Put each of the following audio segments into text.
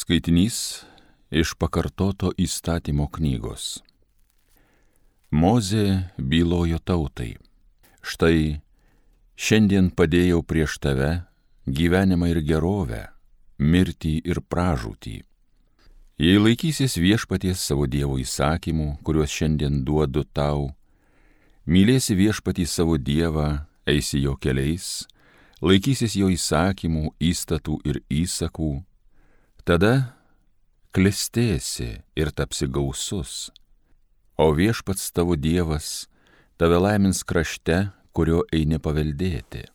Skaitinys iš pakartoto įstatymo knygos. Mozė bylojo tautai: štai, šiandien padėjau prieš tave gyvenimą ir gerovę, mirtį ir pražūtį. Jei laikysies viešpaties savo Dievo įsakymų, kuriuos šiandien duodu tau, mylėsi viešpatį savo Dievą, eisi jo keliais, laikysis jo įsakymų, įstatų ir įsakų, tada klestėsi ir tapsi gausus, o viešpats tavo Dievas tave laimins krašte, kurio eini paveldėti.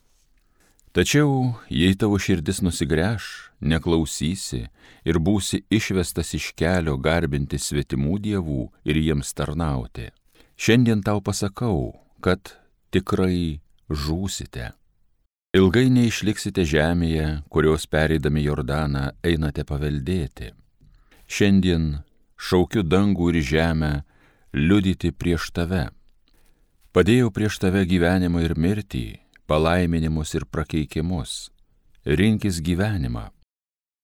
Tačiau, jei tavo širdis nusigręš, neklausysi ir būsi išvestas iš kelio garbinti svetimų dievų ir jiems tarnauti, šiandien tau pasakau, kad tikrai žūsite. Ilgai neišliksite žemėje, kurios pereidami Jordaną einate paveldėti. Šiandien šaukiu dangų ir žemę liudyti prieš tave. Padėjau prieš tave gyvenimą ir mirtį, palaiminimus ir prakeikimus. Rinkis gyvenimą,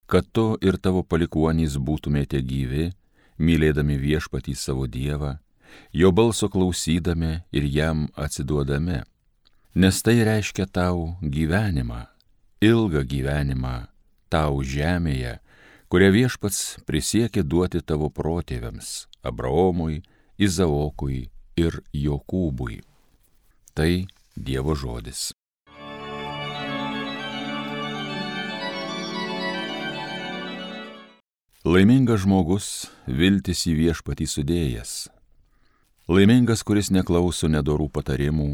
kad tu ir tavo palikuonys būtumėte gyvi, mylėdami viešpatį savo Dievą, jo balso klausydami ir jam atsiduodami. Nes tai reiškia tau gyvenimą, ilgą gyvenimą tau žemėje, kurią viešpats prisiekė duoti tavo protėviams, Abraomui, Izaokui ir Jokūbui. Tai Dievo žodis. Laimingas žmogus, viltis į viešpatį sudėjęs. Laimingas, kuris neklauso nedorų patarimų,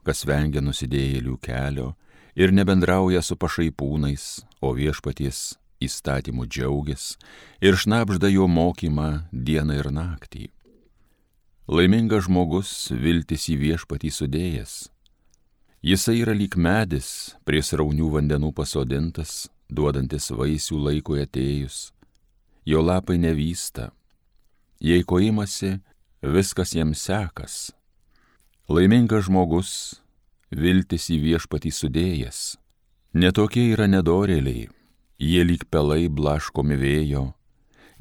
kas vengia nusidėjėlių kelio ir nebendrauja su pašaipūnais, o viešpaties įstatymų džiaugias ir šnabžda jo mokymą dieną ir naktį. Laimingas žmogus, viltis į viešpatį sudėjęs. Jisai yra lyg medis, prie sraunių vandenų pasodintas, duodantis vaisių laikui atėjus. Jo lapai nevysta. Jei ko imasi, viskas jam sekas. Laimingas žmogus, viltis į viešpatį sudėjęs. Netokie yra nedorėliai, jie lyg pelai blaškomi vėjo,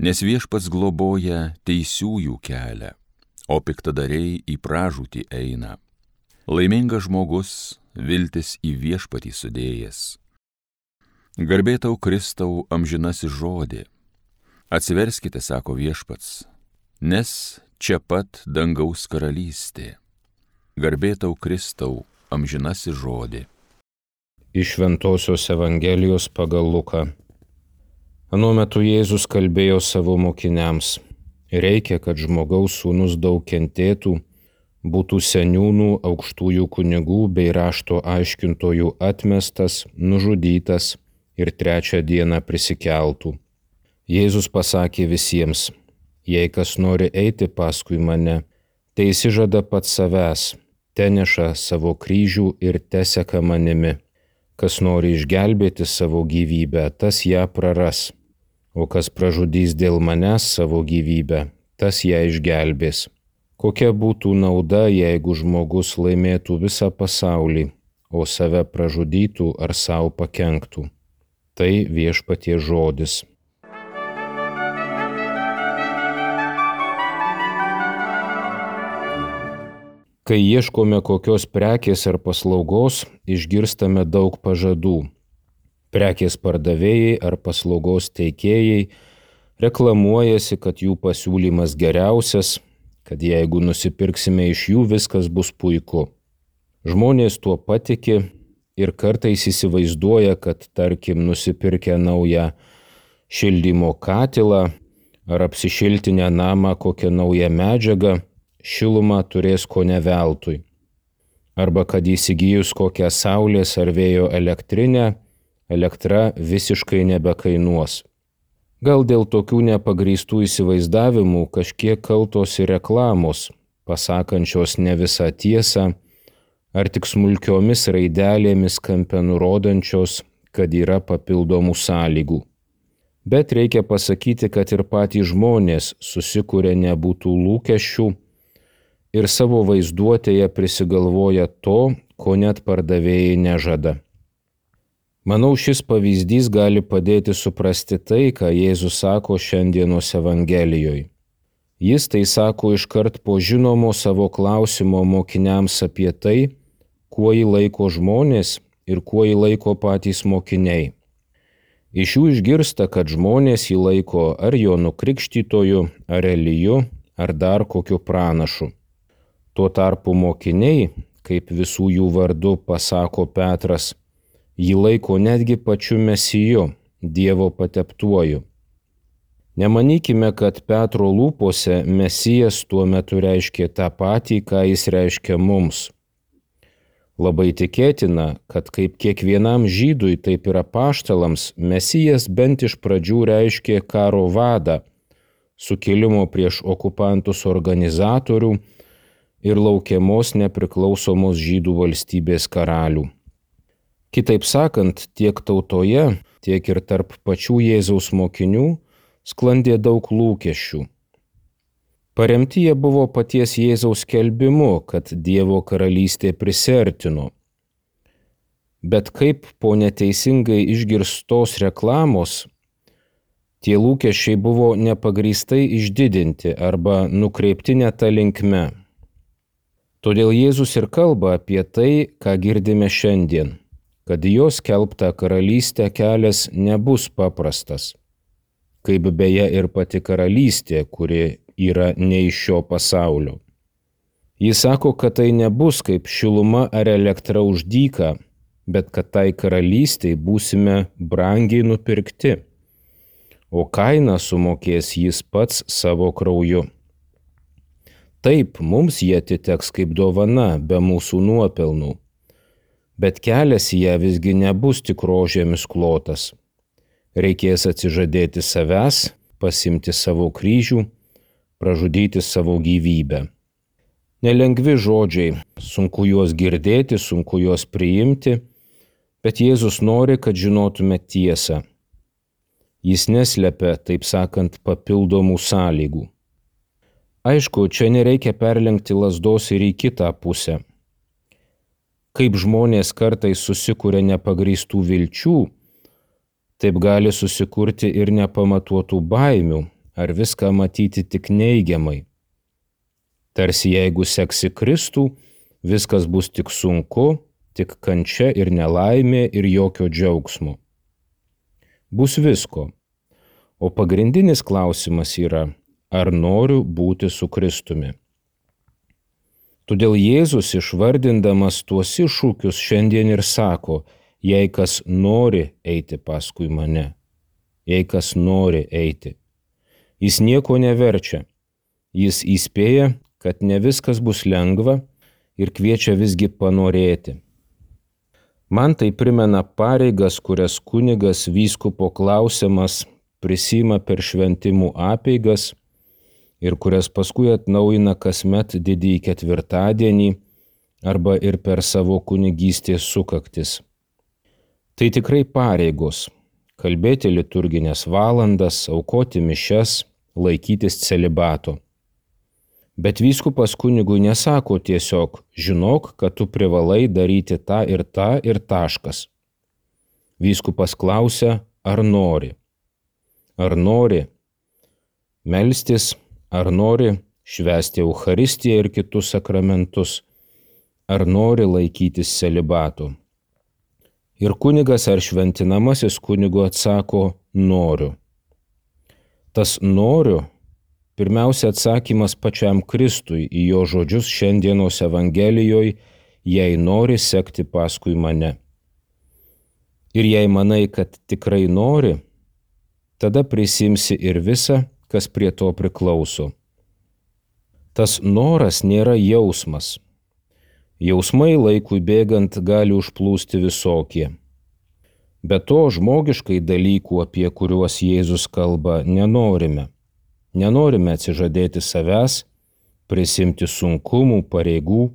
nes viešpats globoja teisiųjų kelią, o piktadariai į pražūtį eina. Laimingas žmogus, viltis į viešpatį sudėjęs. Garbė tau Kristau amžinasis žodį. Atsiverskite, sako viešpats, nes čia pat dangaus karalystė. Garbė tau Kristau amžinasis žodį. Iš Šventosios Evangelijos pagal Luką. Anuo metu Jėzus kalbėjo savo mokiniams: reikia, kad žmogaus sūnus daug kentėtų, būtų seniūnų, aukštųjų kunigų bei rašto aiškintojų atmestas, nužudytas ir trečią dieną prisikeltų. Jėzus pasakė visiems: jei kas nori eiti paskui mane, tai išsižada pats savęs, teneša savo kryžių ir teseka manimi. Kas nori išgelbėti savo gyvybę, tas ją praras, o kas pražudys dėl manęs savo gyvybę, tas ją išgelbės. Kokia būtų nauda, jeigu žmogus laimėtų visą pasaulį, o save pražudytų ar savo pakenktų? Tai viešpaties žodis. Kai ieškome kokios prekės ar paslaugos, išgirstame daug pažadų. Prekės pardavėjai ar paslaugos teikėjai reklamuojasi, kad jų pasiūlymas geriausias, kad jeigu nusipirksime iš jų, viskas bus puiku. Žmonės tuo patiki ir kartais įsivaizduoja, kad tarkim nusipirkę naują šildymo katilą ar apsišiltinę namą kokią naują medžiagą, šilumą turės kone veltui. Arba kad įsigijus kokią saulės ar vėjo elektrinę, elektra visiškai nebekainuos. Gal dėl tokių nepagrįstų įsivaizdavimų kažkiek kaltos ir reklamos, pasakančios ne visą tiesą, ar tik smulkiomis raidelėmis kampe nurodančios, kad yra papildomų sąlygų. Bet reikia pasakyti, kad ir patys žmonės susikuria nebūtų lūkesčių ir savo vaizduotėje prisigalvoja to, ko net pardavėjai nežada. Manau, šis pavyzdys gali padėti suprasti tai, ką Jėzus sako šiandienos Evangelijoje. Jis tai sako iškart po žinomo savo klausimo mokiniams apie tai, kuo jį laiko žmonės ir kuo jį laiko patys mokiniai. Iš jų išgirsta, kad žmonės jį laiko ar Jonu Krikštytoju, ar Eliju, ar dar kokiu pranašu. Tuo tarpu mokiniai, kaip visų jų vardu pasako Petras, jį laiko netgi pačiu Mesiju, Dievo pateptuoju. Nemanykime, kad Petro lūpose Mesijas tuo metu reiškė tą patį, ką jis reiškia mums. Labai tikėtina, kad kaip kiekvienam žydui, taip ir apaštalams, Mesijas bent iš pradžių reiškė karo vadą, sukilimo prieš okupantus organizatorių ir laukiamos nepriklausomos žydų valstybės karalių. Kitaip sakant, tiek tautoje, tiek ir tarp pačių Jėzaus mokinių sklandė daug lūkesčių. Paremti jie buvo paties Jėzaus skelbimu, kad Dievo karalystė prisiartino. Bet kaip po neteisingai išgirstos reklamos, tie lūkesčiai buvo nepagrįstai išdidinti arba nukreipti ne ta linkme. Todėl Jėzus ir kalba apie tai, ką girdime šiandien, kad jo skelbtą karalystę kelias nebus paprastas, kaip beje ir pati karalystė, kuri yra ne iš šio pasaulio. Jis sako, kad tai nebus kaip šiluma ar elektra už dyką, bet kad tai karalystei būsime brangiai nupirkti, o kainą sumokės jis pats savo krauju. Taip, mums jie atiteks kaip dovana be mūsų nuopelnų, bet kelias į ją visgi nebus tik rožėmis klotas. Reikės atsižadėti savęs, pasimti savo kryžių, pražudyti savo gyvybę. Nelengvi žodžiai, sunku juos girdėti, sunku juos priimti, bet Jėzus nori, kad žinotume tiesą. Jis neslepia, taip sakant, papildomų sąlygų. Aišku, čia nereikia perlenkti lazdos ir į kitą pusę. Kaip žmonės kartais susikuria nepagrįstų vilčių, taip gali susikurti ir nepamatuotų baimių, ar viską matyti tik neigiamai. Tarsi jeigu seksi Kristų, viskas bus tik sunku, tik kančia ir nelaimė ir jokio džiaugsmo. Bus visko, o pagrindinis klausimas yra, ar noriu būti su Kristumi. Todėl Jėzus išvardindamas tuos iššūkius šiandien ir sako, jei kas nori eiti paskui mane, jei kas nori eiti. Jis nieko neverčia, jis įspėja, kad ne viskas bus lengva ir kviečia visgi panorėti. Man tai primena pareigas, kurias kunigas vyskupo klausiamas prisima per šventimų apeigas ir kurias paskui atnaujina kasmet didįjį ketvirtadienį arba ir per savo kunigystės sukaktis. Tai tikrai pareigos – kalbėti liturginės valandas, aukoti mišias, laikytis celibato. Bet vyskupas kunigui nesako tiesiog, žinok, kad tu privalai daryti tą ir taškas. Vyskupas klausia, ar nori. Ar nori melstis, ar nori švęsti Eucharistiją ir kitus sakramentus, ar nori laikytis celibato. Ir kunigas ar šventinamasis kunigu atsako, noriu. Tas noriu, pirmiausia atsakymas pačiam Kristui į jo žodžius šiandienos Evangelijoje, jei nori sekti paskui mane. Ir jei manai, kad tikrai nori, tada prisimsi ir visa, kas prie to priklauso. Tas noras nėra jausmas. Jausmai laikui bėgant gali užplūsti visokie. Be to, žmogiškai dalykų, apie kuriuos Jėzus kalba, nenorime. Nenorime atsižadėti savęs, prisimti sunkumų, pareigų.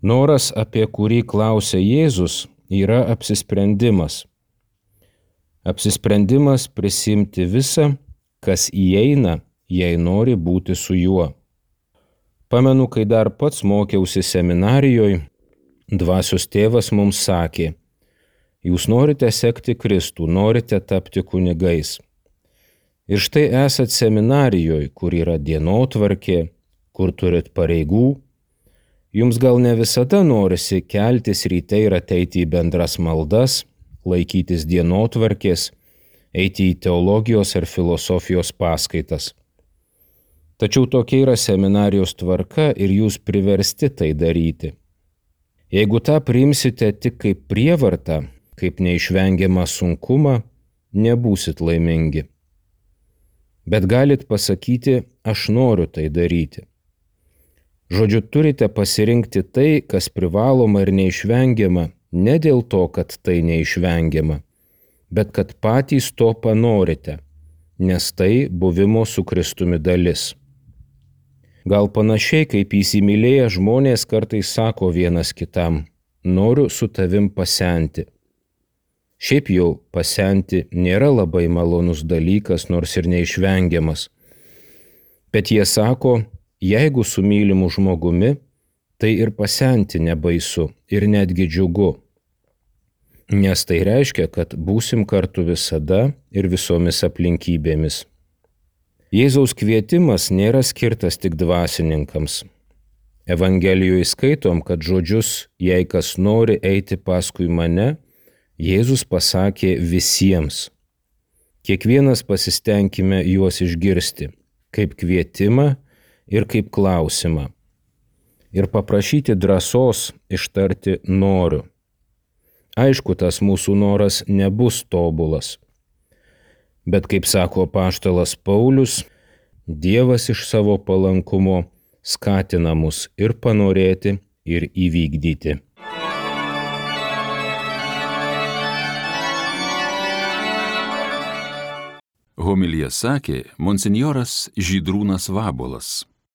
Noras, apie kurį klausia Jėzus, yra apsisprendimas. Apsisprendimas prisimti visą, kas įeina, jei nori būti su juo. Pamenu, kai dar pats mokiausi seminarijoje, dvasios tėvas mums sakė, Jūs norite sekti Kristų, norite tapti kunigais. Ir štai esat seminarijoje, kur yra dienotvarkė, kur turit pareigų. Jums gal ne visada norisi keltis ryte ir ateiti į bendras maldas, laikytis dienotvarkės, eiti į teologijos ar filosofijos paskaitas. Tačiau tokia yra seminarijos tvarka ir jūs priversti tai daryti. Jeigu tą priimsite tik kaip prievartą, kaip neišvengiamą sunkumą, nebūsit laimingi. Bet galit pasakyti, aš noriu tai daryti. Žodžiu, turite pasirinkti tai, kas privaloma ir neišvengiama, ne dėl to, kad tai neišvengiama, bet kad patys to panorite, nes tai buvimo su Kristumi dalis. Gal panašiai kaip įsimylėję žmonės kartais sako vienas kitam, noriu su tavim pasenti. Šiaip jau pasenti nėra labai malonus dalykas, nors ir neišvengiamas. Bet jie sako, jeigu su mylimu žmogumi, tai ir pasenti nebaisu ir netgi džiugu. Nes tai reiškia, kad būsim kartu visada ir visomis aplinkybėmis. Jėzaus kvietimas nėra skirtas tik dvasininkams. Evangelijoje skaitom, kad žodžius, jei kas nori eiti paskui mane, Jėzus pasakė visiems. Kiekvienas pasistengime juos išgirsti, kaip kvietimą ir kaip klausimą. Ir paprašyti drąsos ištarti noriu. Aišku, tas mūsų noras nebus tobulas. Bet kaip sako apaštalas Paulius, Dievas iš savo palankumo skatina mus ir panorėti, ir įvykdyti. Homiliją sakė monsinjoras Žydrūnas Vabuolas.